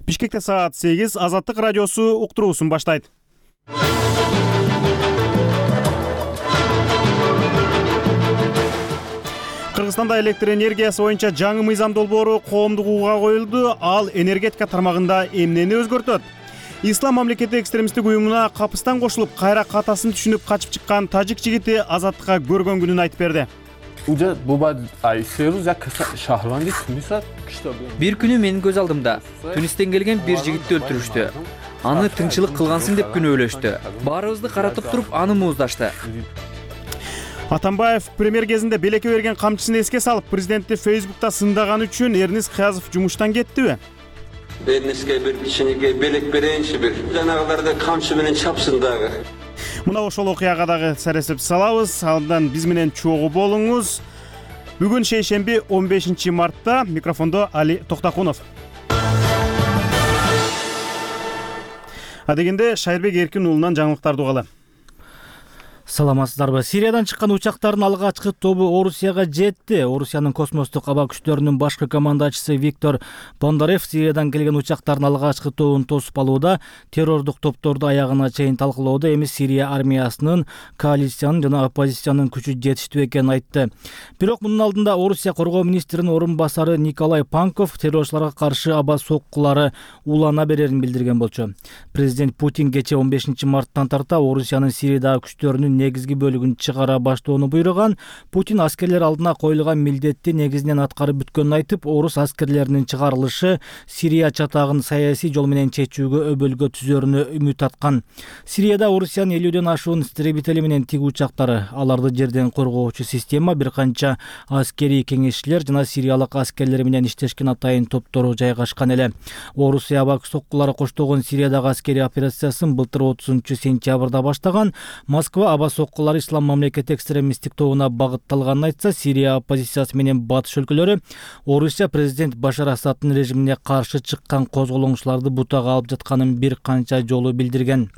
Бишкекте саат 8 Азаттык радиосу уктуруусун баштайт. Кыргызстанда электр энергиясы боюнча жаңы мыйзам долбоору коомдук угууга коюлду. Ал энергетика тармагында эмнени өзгөртөт? Ислам мамлекети экстремисттик уюмуна капыстан кошулуп, кайра катасын түшүнүп качып чыккан тажик жигити Азаттыкка көргөн күнүн айтып берди. Бир күнү менин көз алдымда Тунистен келген бир жигитти өлтүрүштү. Аны тынчылык кылгансың деп күнөөлөштү. Баарыбызды каратып туруп аны мууздашты. Атамбаев премьер кезинде белекке берген камчысын эске салып, президентти Facebook'та сындаган үчүн Эрнис Кыязов жумуштан кеттиби? Эрниске бир кичинекей белек берейинчи, бир жанагыларды камчы менен чапсын дагы. Мына ошол окуяга дагы саресеп салабыз. Андан биз менен чогуу болуңуз. Бүгүн шейшемби 15 мартта. Микрофондо Али Токтакунов. Адегенде Шайырбек Эркин уулунан жаңылыктарды угалы. Саламатсыздарбы? Сириядан чыккан учактардын алгачкы тобу Орусияга жетти. Орусиянын космостук аба күчтөрүнүн башкы командачысы Виктор Бондарев Сириядан келген учактардын алгачкы тобун тосуп алууда, террордук топторду аягына чейин талкуулоодо эми Сирия армиясынын, коалициянын жана оппозициянын күчү жетиштүү экенин айтты. Бирок мунун алдында Орусия коргоо министринин орун басары Николай Панков террорчуларга каршы аба соккулары улана берерин билдирген болчу. Президент Путин кечээ 15 марттан тарта Орусиянын Сириядагы күчтөрүнүн негизги бөлүгүн чыгара баштоону буйруган. Путин аскерлер алдына коюлган милдетти негизинен аткарып бүткөнүн айтып, орус аскерлеринин чыгарылышы Сирия чатагын саясий жол менен чечүүгө өбөлгө түзөрүнө үмүт аткан. Сирияда Орусиянын 50дөн ашуун истребители менен тиг учактары, аларды жерден коргоочу система, бир канча аскерий кеңешчилер жана сириялык аскерлер менен иштешкен атайын топтору жайгашкан эле. Орусия аба соккулары коштогон Сириядагы аскерий операциясын былтыр 30-сентябрда баштаган. Москва аба соккулары Ислам мамлекети экстремисттик тобуна багытталганын айтса, Сирия оппозициясы менен батыш өлкөлөрү Орусия президент Башар Асадтын режимине каршы чыккан козголоңчуларды бутага алып жатканын бир канча жолу билдирген.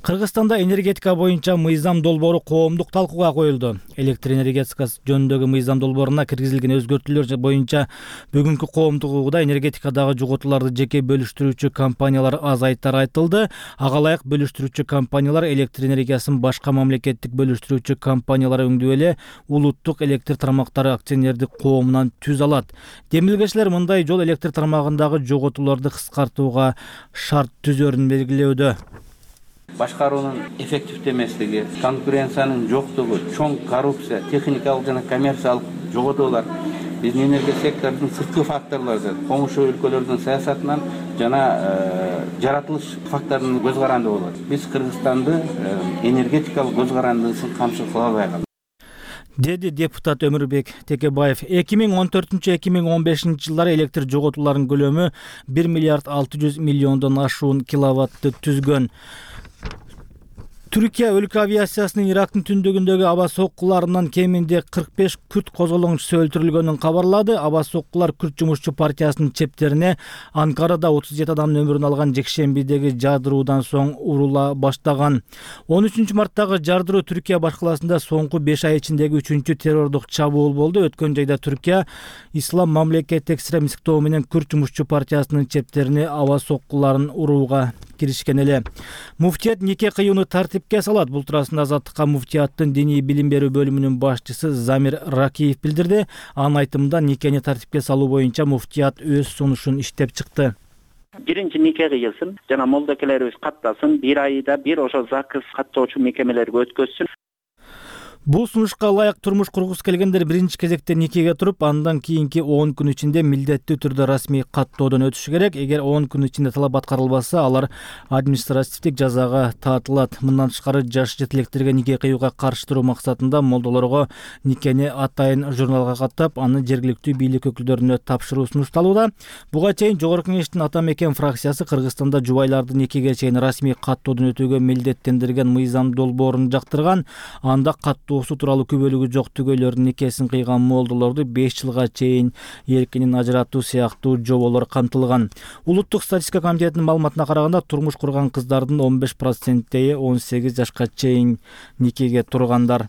Кыргызстанда энергетика боюнча мыйзам долбоору коомдук талкууга коюлду. Электр энергетикасы жөнүндөгү мыйзам долбооруна киргизилген өзгөртүүлөр боюнча бүгүнкү коомдук угууда энергетикадагы жоготууларды жеке бөлүштүрүүчү компаниялар азайтары айтылды. Ага ылайык бөлүштүрүүчү компаниялар электр энергиясын башка мамлекеттик бөлүштүрүүчү компаниялар өңдүү эле улуттук электр тармактары акционердик коомунан түз алат. Демилгечилер мындай жол электр тармагындагы жоготууларды кыскартууга шарт түзөрүн белгилөөдө. Башкаруунун эффективдүү эмеслиги, конкуренциянын жоктугу, чоң коррупция, техникалык жана коммерциялык жоготуулар биздин энергия секторунун сырткы факторлору, комушу өлкөлөрдүн саясатынан жана жаратылыш факторунун көз каранды болот. Биз Кыргызстанды энергетикалык көз карандысын камсыз кыла албайбыз, деди депутат Өмүрбек Текебаев. 2014-2015 жылдары электр жоготууларынын көлөмү 1 миллиард 600 миллиондон ашуун киловаттты түзгөн. Түркия өлкө авиациясынын Ирактын түндүгүндөгү аба соккуларынан кеминде 45 күрд козголоңчусу өлтүрүлгөнүн кабарлады. Аба соккулар Күрд жумушчу партиясынын чептерине Анкарада 37 адамдын өмүрүн алган жекшембидеги жардыруудан соң урула баштаган. 13 марттагы жардыруу Түркия башкаласында соңку 5 ай ичиндеги 3-чү террордук чабуул болду. Өткөн жайда Түркия Ислам мамлекети экстремисттик тобу менен Күрд жумушчу партиясынын чептерине аба соккуларын урууга киришкен эле. Муфтият нике кыюуну тартипке салат. Бул туурасында Азаттыкка муфтияттын диний билим берүү бөлүмүнүн башчысы Замир Ракиев билдирди. Анын айтымында никени тартипке салуу боюнча муфтият өз сунушун иштеп чыкты. Биринчи нике кыйылсын, жана молдокелерибиз каттасын, бир айда бир ошо закыз каттоочу мекемелерге өткөзсүн. Бул сунушка ылайык турмуш кургусу келгендер биринчи кезекте никеге туруп, андан кийинки 10 күн ичинде милдеттүү түрдө расмий каттоодон өтүшү керек. Эгер 10 күн ичинде талап аткарылбаса, алар административдик жазага таатылат. Мындан тышкары жаш жетилектерге нике кыюуга каршы туруу максатында молдолорго никени атайын журналга каттап, аны жергиликтүү бийлик өкүлдөрүнө тапшыруу сунушталууда. Буга чейин Жогорку Кеңештин Ата Мекен фракциясы Кыргызстанда жубайларды никеге чейин расмий каттоодон өтүүгө милдеттендирген мыйзам долбоорун жактырган. Анда каттоо тууралуу күбөлүгү жок түгөйлөрдүн никесин кыйган молдолорду 5 жылга чейин эркинен ажыратуу сыяктуу жоболор камтылган. Улуттук статистика комитетинин маалыматына караганда, турмуш курган кыздардын 15%-и 18 жашка чейин никеге тургандар.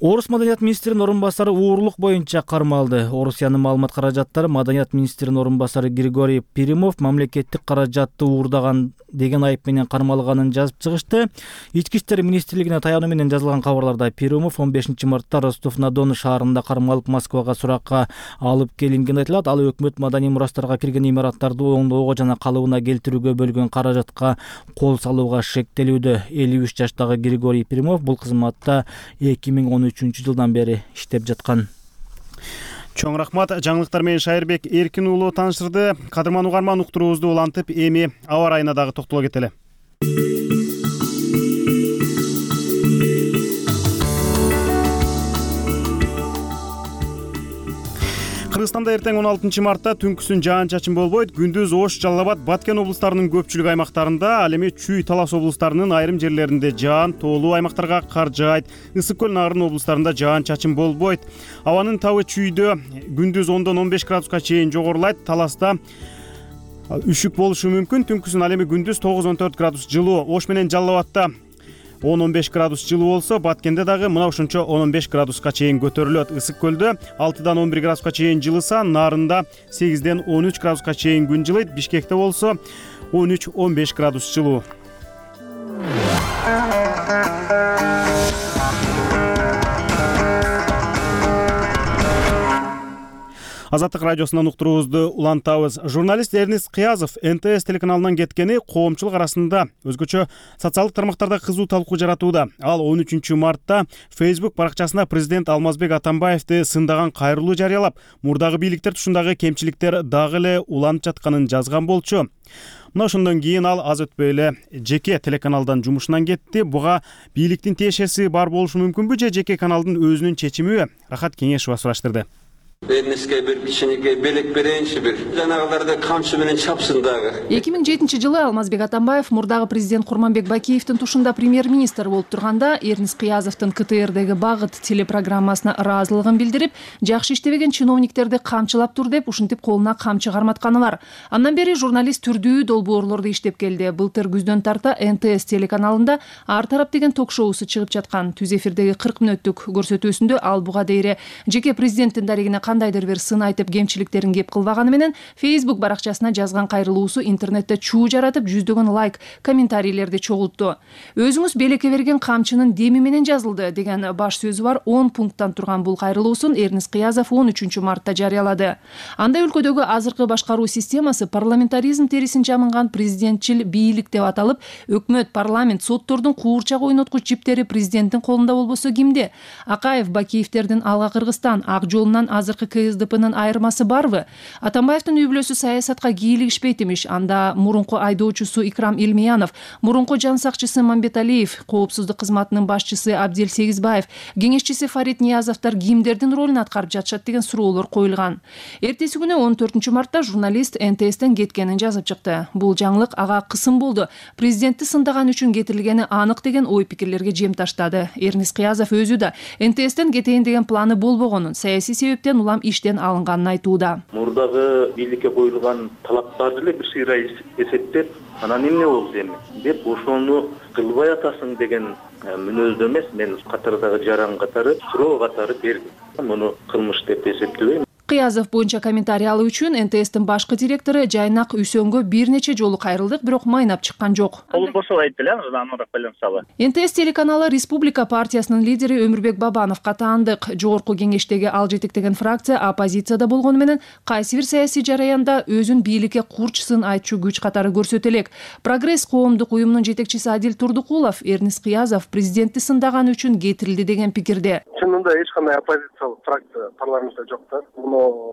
Орус маданият министринин орун басары уурлук боюнча кармалды. Орусиянын маалымат каражаттары маданият министринин орун басары Григорий Перимов мамлекеттик каражатты уурдаган деген айып менен кармалганын жазып чыгышты. Ички иштер министрлигине таянуу менен жазылган кабарларда Перимов 15 мартта Ростов-на-Дону шаарында кармалып Москвага суракка алып келинген айтылат. Ал өкмөт маданий мурастарга кирген имараттарды оңдоого жана калыбына келтирүүгө бөлгөн каражатка кол салууга шектелүүдө. 53 жаштагы Григорий Перимов бул кызматта 2013 жылдан бери иштеп жаткан. Чоң рахмат. Жаңылыктар менен Шайырбек Эркин уулу таанышырды. Кадырман угарман, уктуруубузду улантып, эми аба ырайына дагы токтоло кетели. Кыргызстанда эртең 16 мартта түнкүсүн жаан-чачын болбойт. Күндүз Ош, Жалал Абад, Баткен облустарынын көпчүлүк аймактарында, ал эми Чүй, Талас облустарынын айрым жерлеринде жаан, тоолуу аймактарга кар жаайт. Ысык көл, Нарын облустарында жаан-чачын болбойт. Абанын табы Чүйдө күндүз 10-15 градуска чейин жогорулайт. Таласта үшүк болушу мүмкүн. Түнкүсүн ал эми күндүз 9-14 градус жылуу. Ош менен Жалал Абадта 10-15 градус жылуу болсо, Баткенде дагы мына ошончо 10-15 градуска чейин көтөрүлөт. Ысык көлдө 6-11 градуска чейин жылыса, Нарында 8-13 градуска чейин күн жылыйт. Бишкекте болсо 13-15 градус жылуу. Азаттык радиосунан уктуруубузду улантабыз. Журналист Эрнест Кыязов НТС телеканалынан кеткени коомчулук арасында өзгөчө социалдык тармактарда кызуу талкуу жаратууда. Ал 13 мартта Facebook баракчасына президент Алмазбек Атамбаевди сындаган кайрылуу жарыялап, мурдагы бийликтер тушундагы кемчиликтер дагы эле уланып жатканын жазган болчу. Мына ошондон кийин ал аз өтпөй эле жеке телеканалдан жумушунан кетти. Буга бийликтин тиешеси бар болушу мүмкүнбү же жеке каналдын өзүнүн чечимиби? Рахат Кеңешова сураштырды. Эрнестке bir кичинекей белек берейинчи, бир жанагыларды камчы менен чапсын дагы. 2007-жылы Алмазбек Атамбаев мурдагы президент Курманбек Бакиевдин тушунда премьер-министр болуп турганда Эрнест Кыязовдун КТРдеги багыт телепрограммасына ыраазылыгын билдирип, жакшы иштебеген чиновниктерди камчылап тур деп ушинтип колуна камчы карматканы бар. Андан бери журналист түрдүү долбоорлорду иштеп келди. Былтыр күздөн тарта НТС телеканалында Ар тарап деген ток-шоусу чыгып жаткан. Түз эфирдеги 40 мүнөттүк көрсөтүүсүндө ал буга дейре жеке президенттин дарегине кандайдыр бир сын айтып кемчиликтерин кеп кылбаганы менен Facebook баракчасына жазган кайрылуусу интернетте чуу жаратып, жүздөгөн лайк, комментарийлерди чогултту. Өзүңүз белекке берген камчынын деми менен жазылды деген баш сөзү бар 10 пункттан турган бул кайрылуусун Эрнест Кыязов 13 мартта жарыялады. Анда өлкөдөгү азыркы башкаруу системасы парламентаризм терисин жамынган президентчил бийлик деп аталып, өкмөт, парламент, соттордун куурчак ойноткуч жиптери президенттин колунда болбосо кимде? Акаев, Бакиевдердин Алга Кыргызстан, Ак жолунан азыркы КСДПнын айырмасы барбы? Атамбаевдин үй-бүлөсү саясатка кийлигишпейт имиш. Анда мурунку айдоочусу Икрам Илмиянов, мурунку жан сакчысы Мамбеталиев, коопсуздук кызматынын башчысы Абдел Сегизбаев, кеңешчиси Фарид Ниязовдор кимдердин ролун аткарып жатышат деген суроолор коюлган. Эртеси күнү 14 мартта журналист НТСтен кеткенин жазып чыкты. Бул жаңылык ага кысым болду. Президентти сындаган үчүн кетирилгени анык деген ой-пикирлерге жем таштады. Эрнест Кыязов өзү да НТСтен кетейин деген планы болбогонун, саясий себептен улам иштен алынганын айтууда. Мурдагы бийликке коюлган талаптарды эле бир сыйра эсептеп, анан эмне болду эми деп ошону кылбай атасың деген мүнөздө эмес, мен катардагы жаран катары, суроо катары бердим. Муну кылмыш деп эсептебейм. Кыязов боюнча комментарий алуу үчүн НТСтин башкы директору Жайнак Үсөнгө бир нече жолу кайрылдык, бирок майнап чыккан жок. Колун бошоп айтты эле, андан байланышалы. НТС телеканалы Республика партиясынын лидери Өмүрбек Бабановго таандык. Жогорку кеңештеги ал жетектеген фракция оппозицияда болгону менен кайсы бир саясий жараянда өзүн бийликке курчсын айтчу күч катары көрсөтө элек. Прогресс коомдук уюмунун жетекчиси Адил Турдукулов Эрнест Кыязов президентти сындаган үчүн кетирилди деген пикирде. Чынында эч кандай оппозициялык фракция парламентте жок да.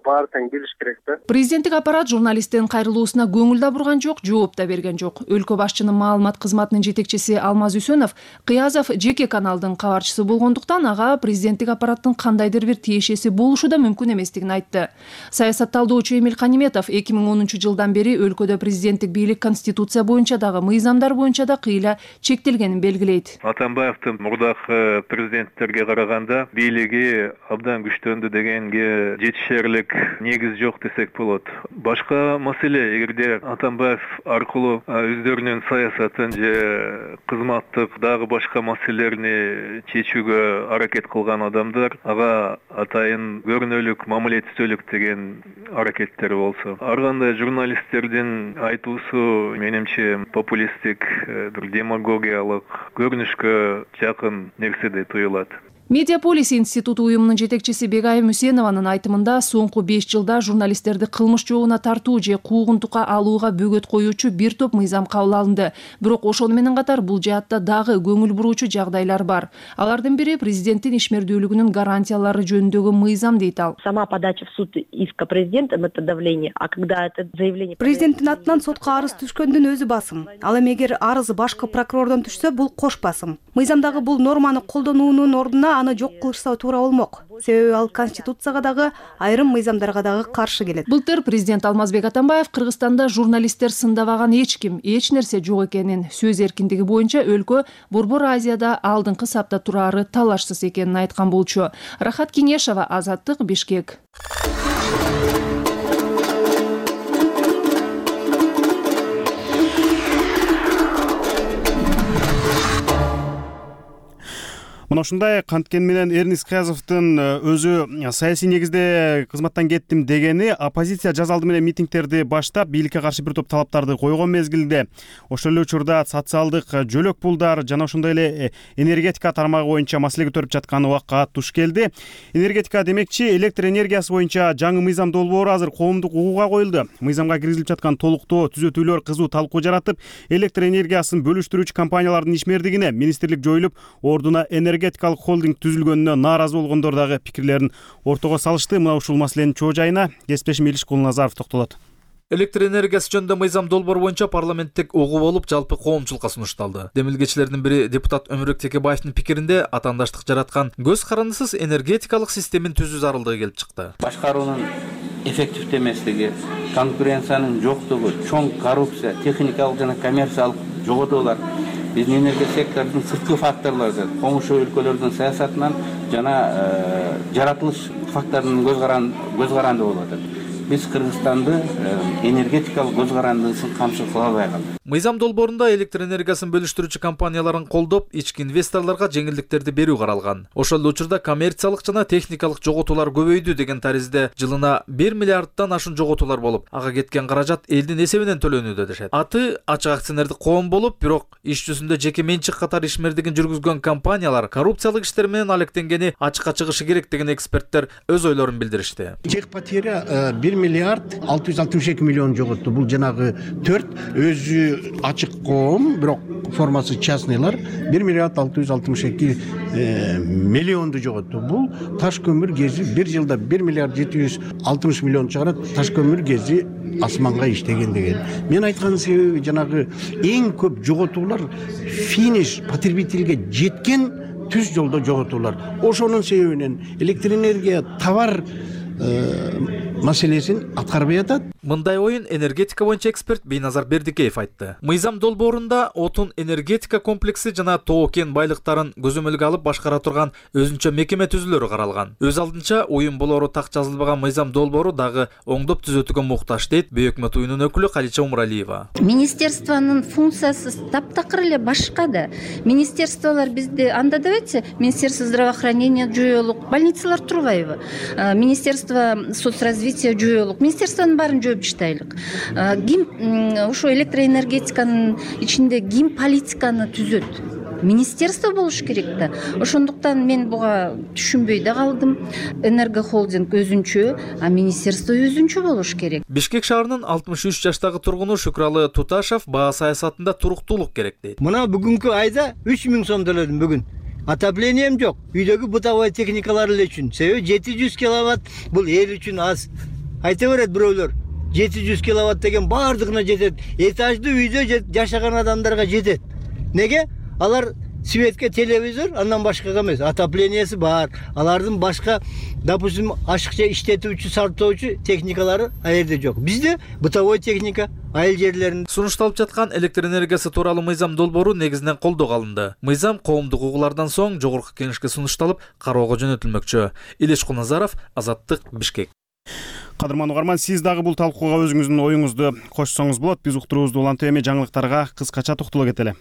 Баары тең келиш керек да. Президенттик аппарат журналисттин кайрылуусуна көңүл да бурган жок, жооп да берген жок. Өлкө башчынын маалымат кызматынын жетекчиси Алмаз Үсөнов Кыязов жеке каналдын кабарчысы болгондуктан ага президенттик аппараттын кандайдыр бир тиешеси болушу да мүмкүн эместигин айтты. Саясат талдоочу Эмил Каниметов 2010 жылдан бери өлкөдө президенттик бийлик конституция боюнча дагы, мыйзамдар боюнча да кыйла чектелгенин белгилейт. Атамбаевдин мурдагы президенттерге караганда бийлиги абдан күчтөндү дегенге жетише жетерлик негиз жок десек болот. Башка маселе, эгерде Атамбаев аркылуу өздөрүнүн саясатын же кызматтык дагы башка маселелерни чечүүгө аракет кылган адамдар ага атайын көрүнөлүк, мамилетсиздүүлүк деген аракеттери болсо, ар кандай журналисттердин айтуусу менимче популисттик, бир демагогиялык көрүнүшкө жакын нерседей туюлат. Медиаполис институту уюмунун жетекчиси Бегайым Үсенованын айтымында соңку 5 жылда журналисттерди кылмыш жообуна тартуу же куугунтукка алууга бөгөт коюучу бир топ мыйзам кабыл алынды. Бирок ошону менен катар бул жаатта дагы көңүл буруучу жагдайлар бар. Алардын бири президенттин ишмердүүлүгүнүн гарантиялары жөнүндөгү мыйзам дейт ал. Сама подача в суд иска президента это давление, а когда это заявление президенттин атынан сотко арыз түшкөндүн өзү басым. Ал эми эгер арыз башкы прокурордон түшсө, бул кош басым. Мыйзамдагы бул норманы колдонуунун ордуна аны жок кылышса туура болмок. Себеби ал конституцияга дагы, айрым мыйзамдарга дагы каршы келет. Былтыр президент Алмазбек Атамбаев Кыргызстанда журналисттер сындабаган эч ким, эч нерсе жок экенин, сөз эркиндиги боюнча өлкө Борбор Азияда алдыңкы сапта турары талашсыз экенин айткан болчу. Рахат Кеңешова, Азаттык, Бишкек. Мына ушундай канткен менен Эрнис Кыязовдун өзү саясий негизде кызматтан кеттим дегени оппозиция жаз алды менен митингтерди баштап бийликке каршы бир топ талаптарды койгон мезгилде ошол эле учурда социалдык жөлөк пулдар жана ошондой эле энергетика тармагы боюнча маселе көтөрүп жаткан убакка туш келди. Энергетика демекчи, электр энергиясы боюнча жаңы мыйзам долбоору азыр коомдук угууга коюлду. Мыйзамга киргизилип жаткан толуктоо түзөтүүлөр кызуу талкуу жаратып, электр энергиясын бөлүштүрүүчү компаниялардын ишмердигине министрлик жоюлуп, ордуна энергетикалык холдинг түзүлгөнүнө нааразы болгондор дагы пикирлерин ортого салышты. Мына ушул маселенин чоо жайына кесиптешим Илиш Кулназаров токтолот. Электр энергиясы жөнүндө мыйзам долбоор боюнча парламенттик угуу болуп, жалпы коомчулукка сунушталды. Демилгечилердин бири депутат Өмүрбек Текебаевдин пикиринде атаандаштык жараткан көз карандысыз энергетикалык системени түзүү зарылдыгы келип чыкты. Башкаруунун эффективдүү эмеслиги, конкуренциянын жоктугу, чоң коррупция, техникалык жана коммерциялык жоготуулар биздин энергия секторунун сырткы факторлору, комушу өлкөлөрдүн саясатынан жана жаратылыш факторунун көз каранды болуп атат. Биз Кыргызстанды энергетикалык көз карандысын камсыз кыла албай калдык. Мыйзам долбоорунда электр энергиясын бөлүштүрүүчү компанияларын колдоп, ички инвесторлорго жеңилдиктерди берүү каралган. Ошол эле учурда коммерциялык жана техникалык жоготуулар көбөйдү деген таризде жылына 1 миллиарддан ашуун жоготуулар болуп, ага кеткен каражат элдин эсебинен төлөнүүдө дешет. Аты ачык акционердик коом болуп, бирок иш жүзүндө жеке менчик катар ишмердигин жүргүзгөн компаниялар коррупциялык иштер менен алектенгени ачыкка чыгышы керек деген эксперттер өз ойлорун билдиришти. Тех потеря 1 миллиард 662 миллион жоготту. Бул жанагы 4 өзү ачык коом, бирок формасы частныйлар 1 миллиард 662 миллионду жоготту. Бул таш көмүр гези бир жылда 1 миллиард 760 миллион чыгарат. Таш көмүр гези асманга иштеген деген. Мен айткан себеби жанагы эң көп жоготуулар финиш потребительге жеткен түз жолдо жоготуулар. Ошонун себебинен электр энергия товар маселесин аткарбай атат. Мындай оюн энергетика боюнча эксперт Бейназар Бердикеев айтты. Мыйзам долбоорунда отун энергетика комплекси жана тоо кен байлыктарын көзөмөлгө алып башкара турган өзүнчө мекеме түзүлөрү каралган. Өз алдынча уюм болору так жазылбаган мыйзам долбоору дагы оңдоп түзөтүүгө муктаж дейт Бөйөк өкмөт уюмунун өкүлү Калича Умралиева. Министерствонун функциясы таптакыр эле башка да. Министерстволор бизде анда давайте Министерство здравоохранения жүйөлүк, больницалар турбайбы? Министерство соцразвития жүйөлүк, министерствонун баарын жөөп таштайлык. Ким ошо электроэнергетиканын ичинде ким политиканы түзөт? Министерство болуш керек да. Ошондуктан мен буга түшүнбөй да калдым. Энергохолдинг өзүнчө, а министерство өзүнчө болуш керек. Бишкек шаарынын 63 жаштагы тургуну Шүкраалы Туташев баа саясатында туруктуулук керек дейт. Мына бүгүнкү айда 3000 сом төлөдүм бүгүн. Отоплением жок. Үйдөгү бытовой техникалар эле үчүн. Себеби 700 киловатт бул эл үчүн аз. Айта берет бирөөлөр. 700 киловатт деген баардыгына жетет. Этаждуу үйдө жашаган адамдарга жетет. Неге? Алар светке телевизор, андан башкага эмес. Отоплениясы бар. Алардын башка, допустим, ашыкча иштетүүчү, сарптоочу техникалары аерде жок. Бизде бытовой техника айыл жерлеринде. Сунушталып жаткан электр энергиясы тууралуу мыйзам долбоору негизинен колдоого алынды. Мыйзам коомдук угуулардан соң жогорку кеңешке сунушталып, кароого жөнөтүлмөкчү. Илиш Кулназаров, Азаттык, Бишкек. Кадырман угарман, сиз дагы бул талкууга өзүңүздүн оюңузду кошсоңуз болот. Биз уктуруубузду улантып эми жаңылыктарга кыскача токтоло кетели.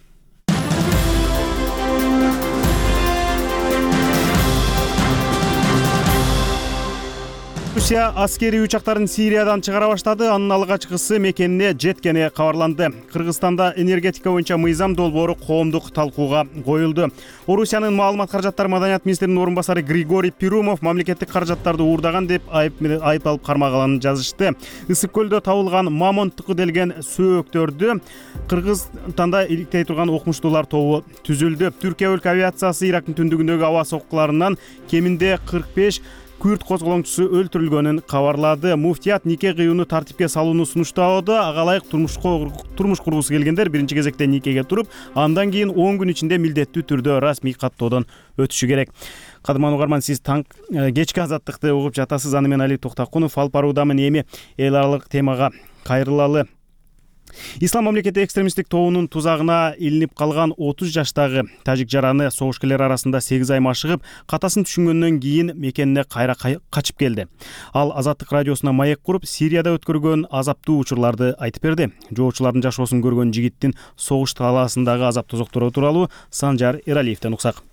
Russia аскерий учактарын Сириядан чыгара баштады. Анын алгачкысы мекенине жеткени кабарланды. Кыргызстанда энергетика боюнча мыйзам долбоору коомдук талкууга коюлду. Орусиянын маалымат каражаттары маданият министринин орун басары Григорий Перумов мамлекеттик каражаттарды уурдаган деп айыпталып кармалганын жазышты. Ысык көлдө табылган мамонттуку делген сөөктөрдү Кыргызстанда иликтей турган окумуштуулар тобу түзүлдү. Түркия өлкө авиациясы Ирактын түндүгүндөгү аба соккуларынан кеминде 45 күрд козголоңчусу өлтүрүлгөнүн кабарлады. Муфтият нике кыюуну тартипке салууну сунуштоодо. Ага ылайык турмуш кургусу келгендер биринчи кезекте никеге туруп, андан кийин 10 күн ичинде милдеттүү түрдө расмий каттоодон өтүшү керек. Кадырман угарман, сиз кечки азаттыкты угуп жатасыз. Аны мен Али Токтакунов алып баруудамын. Эми эл аралык темага кайрылалы. Ислам мамлекети экстремисттик тобунун тузагына илинип калган 30 жаштагы тажик жараны согушкерлер арасында 8 ай машыгып, катасын түшүнгөндөн кийин мекенине кайра качып келди. Ал Азаттык радиосуна маек куруп, Сирияда өткөргөн азаптуу учурларды айтып берди. Жоочулардын жашоосун көргөн жигиттин согуш талаасындагы азап тозоктору тууралуу Санжар Эралиевден уксак.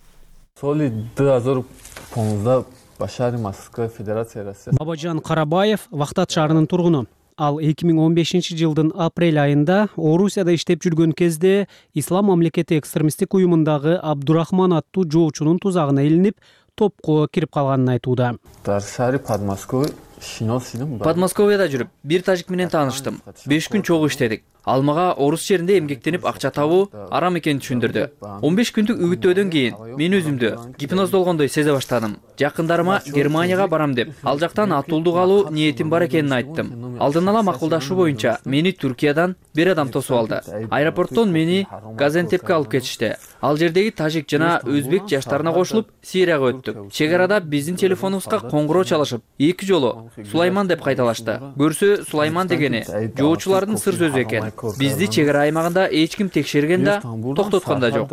Соли 2015-да Башар Московская Федерация Россия. Бабажан Карабаев Вахтат шаарынын тургуну. Ал 2015-жылдын апрель айында Орусияда иштеп жүргөн кезде Ислам мамлекети экстремисттик уюмундагы Абдурахман аттуу жоочунун тузагына илинип, топко кирип калганын айтууда. Подмосковьяда жүрүп, бир тажик менен тааныштым. 5 күн чогуу иштедик. Ал мага орус жеринде эмгектенип акча табуу арам экенин түшүндүрдү. 15 күндүк үгүттөөдөн кийин мен өзүмдү гипноздолгондой сезе баштадым. Жакындарыма Германияга барам деп, ал жактан атуулдук алуу ниетим бар экенин айттым. Алдын ала макулдашуу боюнча мени Түркиядан бир адам тосуп алды. Аэропорттон мени Газентепке алып кетишти. Ал жердеги тажик жана өзбек жаштарына кошулуп Сирияга өттүк. Чек арада биздин телефонубузга коңгуроо чалышып, 2 жолу Сулайман деп кайталашты. Көрсө Сулайман дегени жоочулардын сыр сөзү экен. Бизди чек ара аймагында эч ким текшерген да, токтоткон да жок.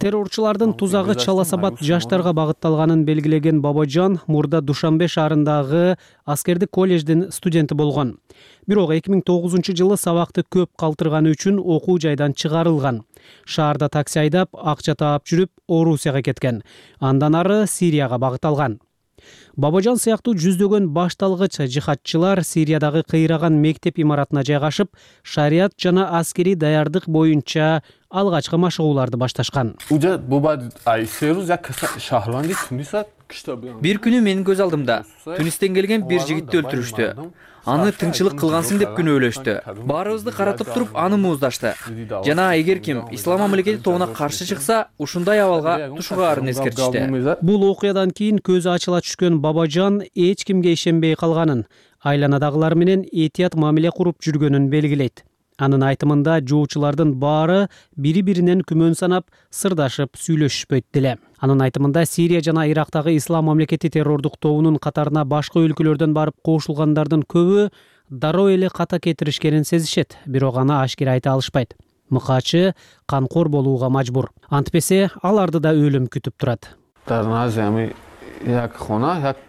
Террорчулардын тузагы Чаласабад жаштарга багытталганын белгилеген Бабажан мурда Душанбе шаарындагы аскердик колледждин студенти болгон. Бирок 2009-жылы сабакты көп калтырганы үчүн окуу жайдан чыгарылган. Шаарда такси айдап, акча таап жүрүп, Орусияга кеткен. Андан ары Сирияга багыт алган. Бабажан сыяктуу жүздөгөн башталгыч жихадчылар Сириядагы кыйраган мектеп имаратына жайгашып, шарият жана аскерий даярдык боюнча алгачкы машыгууларды башташкан. Бир күнү менин көз алдымда Тунистен келген бир жигитти өлтүрүштү. Аны тыңчылык кылгансың деп күнөөлөштү. Баарыбызды каратып туруп, аны мууздашты. Жана эгер ким Ислам мамлекети тобуна каршы чыкса, ушундай абалга тушугаарын эскертишти. Бул окуядан кийин көзү ачыла түшкөн Бабажан эч кимге ишенбей калганын, айланадагылар менен этият мамиле куруп жүргөнүн белгилейт. Анын айтымында жоочулардын баары бири-биринен күмөн санап, сырдашып сүйлөшүшпөйт деле. Анын айтымында Сирия жана Ирактагы Ислам мамлекети террордук тобунун катарына башка өлкөлөрдөн барып кошулгандардын көбү дароо эле ката кетиришкенин сезишет, бирок аны ашкере айта алышпайт. Мыкаачы канкор болууга мажбур. Антпесе аларды да өлүм күтүп турат.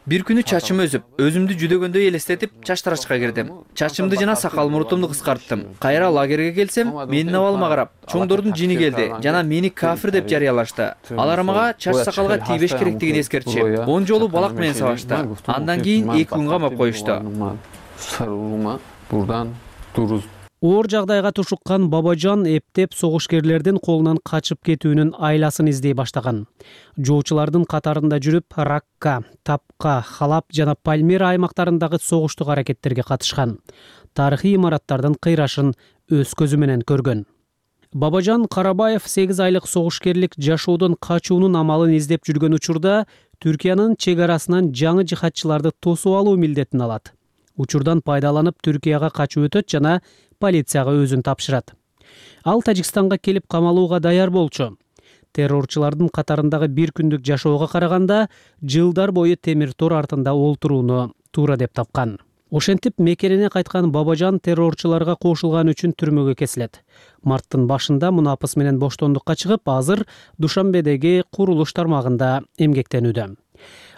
Бир күнү чачым өсүп, өзүмдү жүдөгөндөй элестетип, чач тарачка кирдим. Чачымды жана сакал мурутумду кыскарттым. Кайра лагерге келсем, менин абалыма карап, чоңдордун жини келди жана мени кафир деп жарыялашты. Алар мага чач сакалга тийбеш керектигин эскертишип, 10 жолу балак менен сабашты. Андан кийин 2 күн камап коюшту. Оор жагдайга тушуккан Бабажан эптеп согушкерлердин колунан качып кетүүнүн айласын издей баштаган. Жоочулардын катарында жүрүп, Ракка, Тапка, Халап жана Пальмира аймактарындагы согуштук аракеттерге катышкан. Тарыхый имараттардын кыйрашын өз көзү менен көргөн. Бабажан Карабаев 8 айлык согушкерлик жашоодон качуунун амалын издеп жүргөн учурда Түркиянын чек арасынан жаңы жихадчыларды тосуп алуу милдетин алат. Учурдан пайдаланып Түркияга качып өтөт жана полицияга өзүн тапшырат. Ал Тажикстанга келип камалууга даяр болчу. Террорчулардын катарындагы бир күндүк жашоого караганда жылдар бою темир тор артында олтурууну туура деп тапкан. Ошентип мекенине кайткан Бабажан террорчуларга кошулган үчүн түрмөгө кесилет. Марттын башында мунапыс менен боштондукка чыгып, азыр Душанбедеги курулуш тармагында эмгектенүүдө.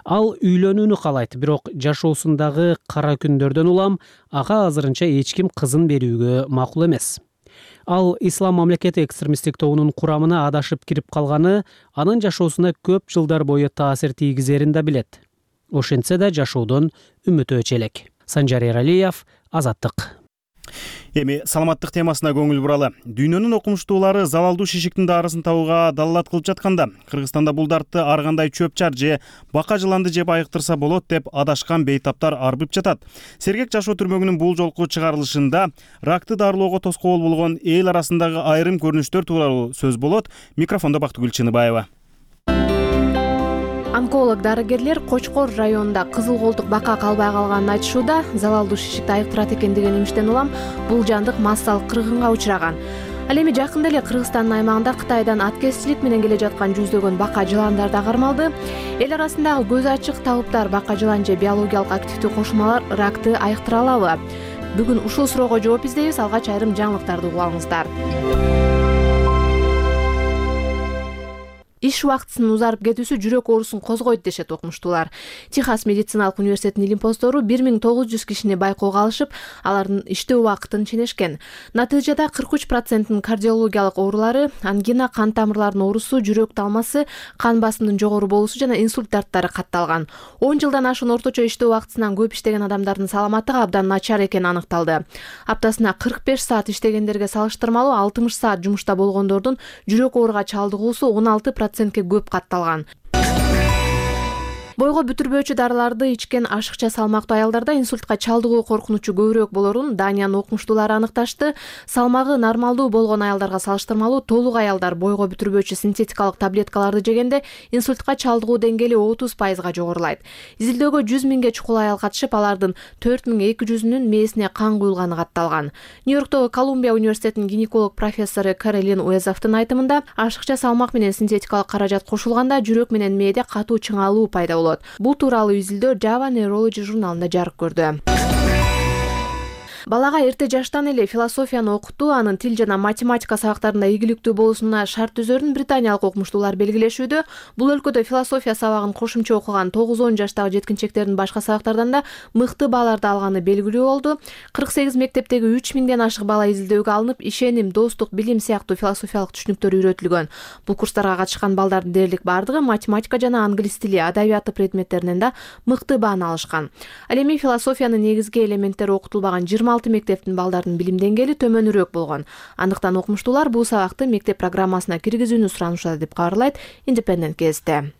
Ал үйлөнүүнү каалайт, бирок жашоосундагы кара күндөрдөн улам ага азырынча эч ким кызын берүүгө макул эмес. Ал Ислам мамлекети экстремисттик тобунун курамына адашып кирип калганы анын жашоосуна көп жылдар бою таасир тийгизерин да билет. Ошентсе да жашоодон үмүтү өчө элек. Санжар Эралиев, Азаттык. Эми саламаттык темасына көңүл буралы. Дүйнөнүн окумуштуулары залалдуу шишиктин дарысын табууга далалат кылып жатканда, Кыргызстанда бул дартты ар кандай чөп-чар же бака жыланды жеп айыктырса болот деп адашкан бейтаптар арбып жатат. Сергек жашоо түрмөгүнүн бул жолку чыгарылышында ракты дарылоого тоскоол болгон эл арасындагы айрым көрүнүштөр тууралуу сөз болот. Микрофондо Бактыгүл Чыныбаева. Онколог дарыгерлер Кочкор районунда кызыл колтук бака калбай калганын айтышууда. Залалдуу шишикти айыктырат экен деген имиштен улам бул жандык массалык кыргынга учураган. Ал эми жакында эле Кыргызстандын аймагында Кытайдан аткезчилик менен келе жаткан жүздөгөн бака жыландар да кармалды. Эл арасындагы көз ачык талаптар бака жылан же биологиялык активдүү кошулмалар ракты айыктыра алабы? Бүгүн ушул суроого жооп издейбиз. Алгач айрым жаңылыктарды угуп алыңыздар. Иш убактысынын узарып кетүүсү жүрөк оорусун козгойт дешет окумуштуулар. Техас медициналык университетинин илимпоздору 1900 кишини байкоого алышып, алардын иштөө убактын ченешкен. Натыйжада 43%-ын кардиологиялык оорулары, ангина, кан тамырларынын оорусу, жүрөк талмасы, кан басымынын жогору болуусу жана инсульт дарттары катталган. 10 жылдан ашуун орточо иштөө убактысынан көп иштеген адамдардын саламаттыгы абдан начар экени аныкталды. Аптасына 45 саат иштегендерге салыштырмалуу 60 саат жумушта болгондордун жүрөк ооруга чалдыгуусу 16%-ке көп катталган. Бойго бүтүрбөөчү дарыларды ичкен ашыкча салмактуу аялдарда инсультка чалдыгуу коркунучу көбүрөөк болорун Даниянын окумуштуулары аныкташты. Салмагы нормалдуу болгон аялдарга салыштырмалуу толук аялдар бойго бүтүрбөөчү синтетикалык таблеткаларды жегенде инсультка чалдыгуу деңгээли 30%га жогорулайт. Изилдөөгө 100 миңге чукул аял катышып, алардын 4200-үнүн мээсине кан куюлганы катталган. Нью-Йорктогу Колумбия университетинин гинеколог профессору Каролин Уэзовдун айтымында, ашыкча салмак менен синтетикалык каражат кошулганда жүрөк менен мээде катуу чыңалуу пайда болот. Бул тууралуу изилдөө Java Neurology журналында жарык көрдү. Балага эрте жаштан эле философияны окутуу анын тил жана математика сабактарында ийгиликтүү болуусуна шарт түзөрүн британиялык окумуштуулар белгилешүүдө. Бул өлкөдө философия сабагын кошумча окуган 9-10 жаштагы жеткинчектердин башка сабактардан да мыкты бааларды алганы белгилүү болду. 48 мектептеги 3000ден ашык бала изилдөөгө алынып, ишеним, достук, билим сыяктуу философиялык түшүнүктөр үйрөтүлгөн. Бул курстарга катышкан балдардын дээрлик бардыгы математика жана англис тили, адабияты предметтеринен да мыкты бааны алышкан. Ал эми философиянын негизги элементтери окутулбаган 26 мектептин балдардын билим деңгээли төмөнүрөөк болгон. Андыктан окумуштуулар бул сабакты мектеп программасына киргизүүнү суранышат деп кабарлайт Independent газети.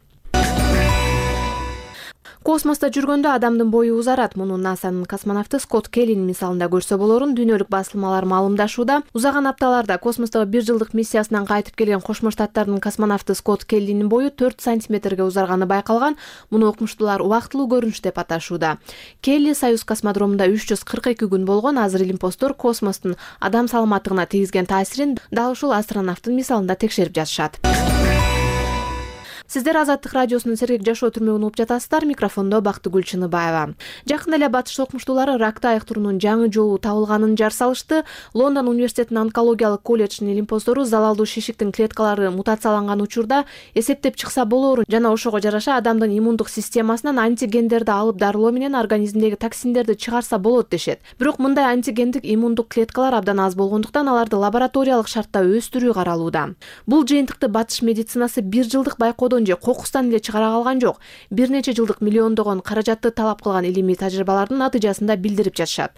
Космоста жүргөндө адамдын бою узарат. Муну НАСАнын космонавты Скотт Келлинин мисалында көрсө болорун дүйнөлүк басылмалар маалымдашууда. Узаган апталарда космостогу 1 жылдык миссиясынан кайтып келген Кошмо Штаттардын космонавты Скотт Келлинин бою 4 сантиметрге узарганы байкалган. Муну окумуштуулар убактылуу көрүнүш деп аташууда. Келли Союз космодромунда 342 күн болгон. Азыр илимпоздор космостун адам саламаттыгына тийгизген таасирин дал ушул астронавттын мисалында текшерип жатышат. Сиздер Азаттык радиосунун Сергек жашоо түрмөгүн угуп жатасыздар. Микрофондо Бактыгүл Чыныбаева. Жакында эле Батыш окумуштуулары ракты айыктыруунун жаңы жолу табылганын жар салышты. Лондон университетинин онкологиялык колледжинин илимпоздору залалдуу шишиктин клеткалары мутацияланган учурда эсептеп чыкса болоорун жана ошого жараша адамдын иммундук системасынан антигендерди алып дарылоо менен организмдеги токсиндерди чыгарса болот дешет. Бирок мындай антигендик иммундук клеткалар абдан аз болгондуктан аларды лабораториялык шартта өстүрүү каралууда. Бул жыйынтыкты Батыш медицинасы 1 жылдык байкоодон же кокустан эле чыгара калган жок. Бир нече жылдык миллиондогон каражатты талап кылган илимий тажрыйбалардын натыйжасында билдирип жатышат.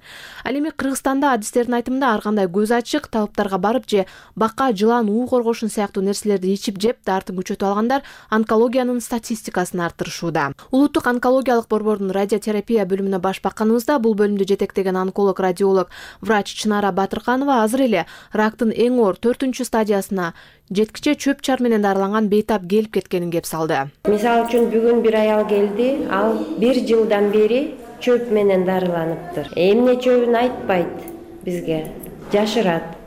Ал эми Кыргызстанда адистердин айтымында ар кандай көз ачык талаптарга барып же бака, жылан, уу коргошун сыяктуу нерселерди ичип жеп дартын күчөтүп алгандар онкологиянын статистикасын арттырышууда. Улуттук онкологиялык борбордун радиотерапия бөлүмүнө баш бакканыбызда бул бөлүмдү жетектеген онколог радиолог врач Чынара Батырканова азыр эле рактын эң оор 4-стадиясына жеткиче чөп чар менен дарыланган бейтап келип кеткенин кеп салды. Мисалы үчүн бүгүн бир аял келди, ал 1 жылдан бери чөп менен дарыланыптыр. Эмне чөбүн айтпайт бизге, жашырат.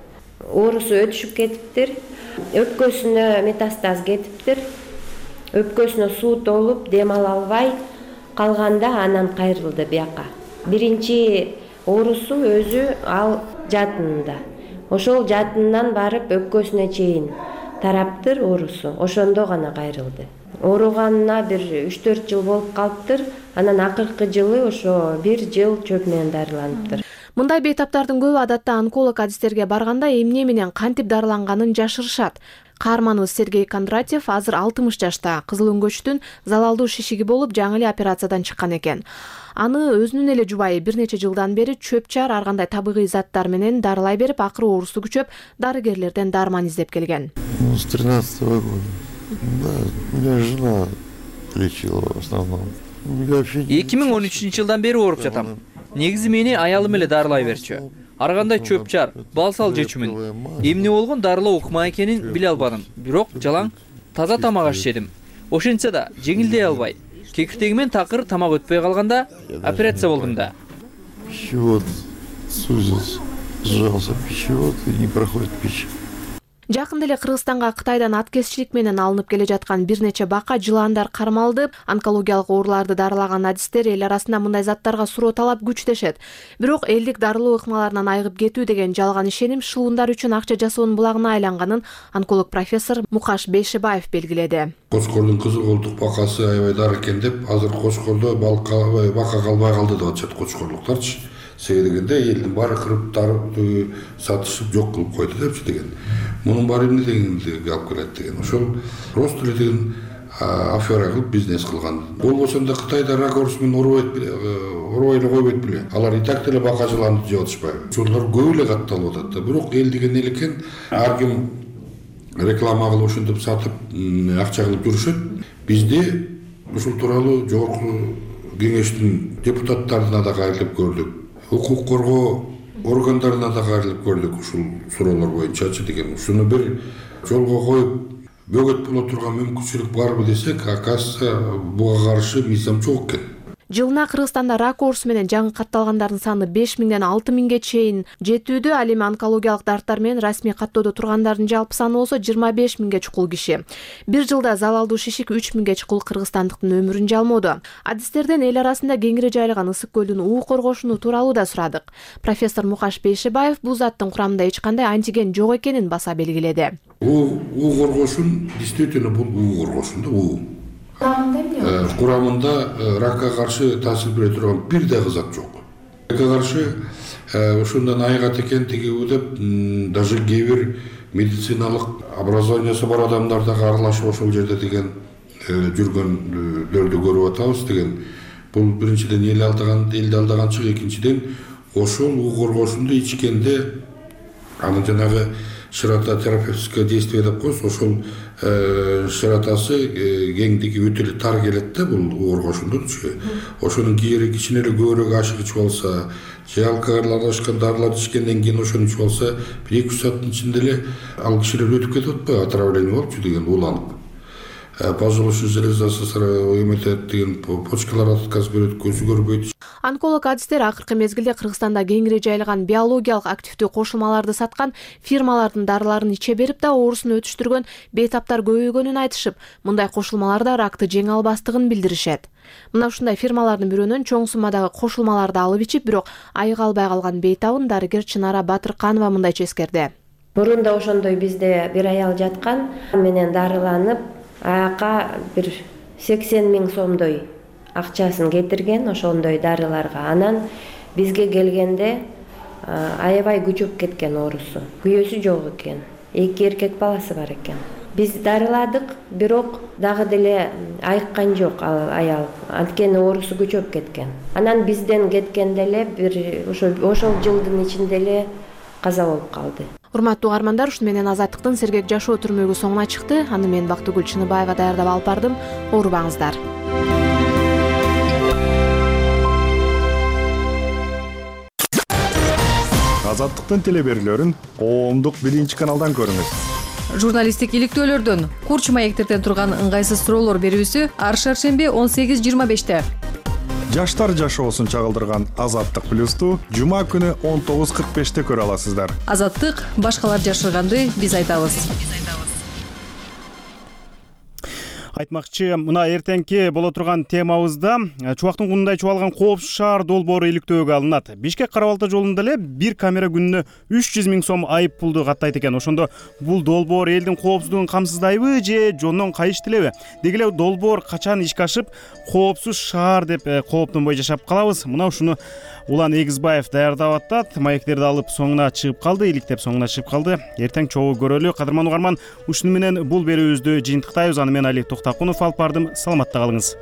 Оорусу өтүшүп кетиптир, өпкөсүнө метастаз кетиптир. Өпкөсүнө суу толуп, дем ала албай калганда анан кайрылды бияка. Биринчи оорусу өзү ал жатынында. Ошол жатындан барып өпкөсүнө чейин тараптыр оорусу. Ошондо гана кайрылды. Ооруганына бир 3-4 жыл болуп калыптыр. Анан акыркы жылы ошо 1 жыл чөп менен дарыланыптыр. Мындай бейтаптардын көбү адатта онколог адистерге барганда эмне менен кантип дарыланганын жашырышат. Каарманыбыз Сергей Кондратьев азыр 60 жашта, кызыл өңгөчтүн залалдуу шишиги болуп, жаңы эле операциядан чыккан экен. Аны өзүнүн эле жубайы бир нече жылдан бери чөп-чар ар кандай табигый заттар менен дарылай берип, акыры оорусу күчөп, дарыгерлерден дарман издеп келген. С 13-го года. Да, меня жена лечила в основном. 2013-жылдан бери ооруп жатам. Негизи мени аялым эле дарылай берчү. Ар кандай чөп-чар, балсал жечүмүн. Эмне болгон дарылоо ыкма экенин биле албадым. Бирок жалаң таза тамак аш жедим. Ошентсе да жеңилдей албай. Кекиртегимен такыр тамак өтпөй калганда операция болдум да. Пищевод сузился, сжался пищевод и не проходит пища. Жакында эле Кыргызстанга Кытайдан аткезчилик менен алынып келе жаткан бир нече бака жылаандар кармалды. Онкологиялык ооруларды дарылаган адистер эл арасында мындай заттарга суроо талап күчтөшөт. Бирок элдик дарылоо ыкмаларынан айыгып кетүү деген жалган ишеним шылуундар үчүн акча жасоонун булагына айланганын онколог профессор Мукаш Бейшебаев белгиледи. Кошкордун кызыл колтук бакасы аябай дар экен деп, азыр Кошкордо бака калбай калды деп атышат кошкорлуктарчы. Себеби дегенде элдин баары кырып тарып сатышып жок кылып койду депчи деген. Мунун баары эмне дегенди алып келет деген. Ошол просто эле деген афера кылып бизнес кылган. Болбосо да Кытайда рак оорусу менен оорубай эле койбойт беле. Алар и так деле бака жылаанды жеп атышпайбы. Ошолор көп эле катталып атат да. Бирок эл деген эл экен, ар ким реклама кылып ошентип сатып акча кылып жүрүшөт. Бизде ушул тууралуу жогорку кеңештин депутаттарына да кайрылып көрдүк. Укук коргоо органдарына да кайрылып көрдүк ушул суроолор боюнчачы деген. Ушуну бир жолго коюп бөгөт боло турган мүмкүнчүлүк барбы десек, оказывается, буга каршы мыйзам жок экен. Жылына Кыргызстанда рак оорусу менен жаңы катталгандардын саны 5000ден 6000ге чейин жетүүдө. Ал эми онкологиялык дарттар менен расмий каттоодо тургандардын жалпы саны болсо 25000ге чукул киши. Бир жылда залалдуу шишик 3000ге чукул кыргызстандыктын өмүрүн жалмоодо. Адистерден эл арасында кеңири жайылган Ысык көлдүн уу коргошуну тууралуу да сурадык. Профессор Мукаш Бейшебаев бул заттын курамында эч кандай антиген жок экенин баса белгиледи. уу коргошун действительно бул уу коргошун да уу. Курамында ракка каршы таасир бере турган бир дагы зат жок. Ракка каршы ошондон айыгат экен тиги деп даже кээ бир медициналык образованиясы бар адамдар да аралашып ошол жерде деген жүргөндөрдү көрүп атабыз деген. Бул биринчиден элди алдаганчык, экинчиден ошол уу коргошунду ичкенде анын жанагы ширототерапевтическое действие деп коебуз, ошол широтасы кеңдиги өтө эле тар келет да бул коргошундунчу. Ошонун кичине эле көбүрөөк ашык ичип алса, же алкоголь аралашкан дарыларды ичкенден кийин ошону ичип алса, 1-2 сааттын ичинде эле ал кишилер өтүп кетип атпайбы, отравление болупчу деген, уланып. Поджелудочный железасы эметет деген, почкалар отказ берет, көзү көрбөйт. Онколог адистер акыркы мезгилде Кыргызстанда кеңири жайылган биологиялык активдүү кошулмаларды саткан фирмалардын дарыларын иче берип да оорусун өтүштүргөн бейтаптар көбөйгөнүн айтышып, мындай кошулмаларда ракты жеңе албастыгын билдиришет. Мына ушундай фирмалардын бирөөнөн чоң суммадагы кошулмаларды алып ичип, бирок айыга албай калган бейтабын дарыгер Чынара Батырканова мындайча эскерди. Мурунда ошондой бизде бир аял жаткан, менен дарыланып, аяка бир 80 000 сомдой акчасын кетирген ошондой дарыларга. Анан бизге келгенде аябай күчөп кеткен оорусу. Күйөөсү жок экен. 2 эркек баласы бар экен. Биз дарыладык, бирок дагы деле айыккан жок ал аял. Анткени оорусу күчөп кеткен. Анан бизден кеткенде эле бир ошол жылдын ичинде эле каза болуп калды. Урматтуу угармандар, ушун менен Азаттыктын сергек жашоо түрмөгү соңуна чыкты. Аны мен Бактыгүл Чыныбаева даярдап алып бардым. Оорубаңыздар. Азаттыктын телеберүүлөрүн коомдук 1-каналдан көрүңүз. Журналисттик иликтөөлөрдөн, курч маектерден турган ыңгайсыз суроолор берүүсү ар шаршемби 18:25-те. Жаштар жашоосун чагылдырган Азаттык плюсту жума күнү 19:45-те көрө аласыздар. Азаттык башкалар жашырганды биз айтабыз. Айтмакчы, мына эртеңки боло турган темабызда чубактын кунундай чубалган коопсуз шаар долбоору иликтөөгө алынат. Бишкек Кара Балта жолунда эле бир камера күнүнө 300 000 сом айып пулду каттайт экен. Ошондо бул долбоор элдин коопсуздугун камсыздайбы же жонунон кайыш тилеби? Деги эле долбоор качан ишке ашып, коопсуз шаар деп кооптонбой жашап калабыз? Мына ушуну Улан Эгизбаев даярдап атат. Маектерди алып соңуна чыгып калды, иликтеп соңуна чыгып калды. Эртең чогуу көрөлү. Кадырман угарман, ушуну менен бул берүүбүздү жыйынтыктайбыз. Аны мен Али Токтакунов алып бардым. Саламатта калыңыз.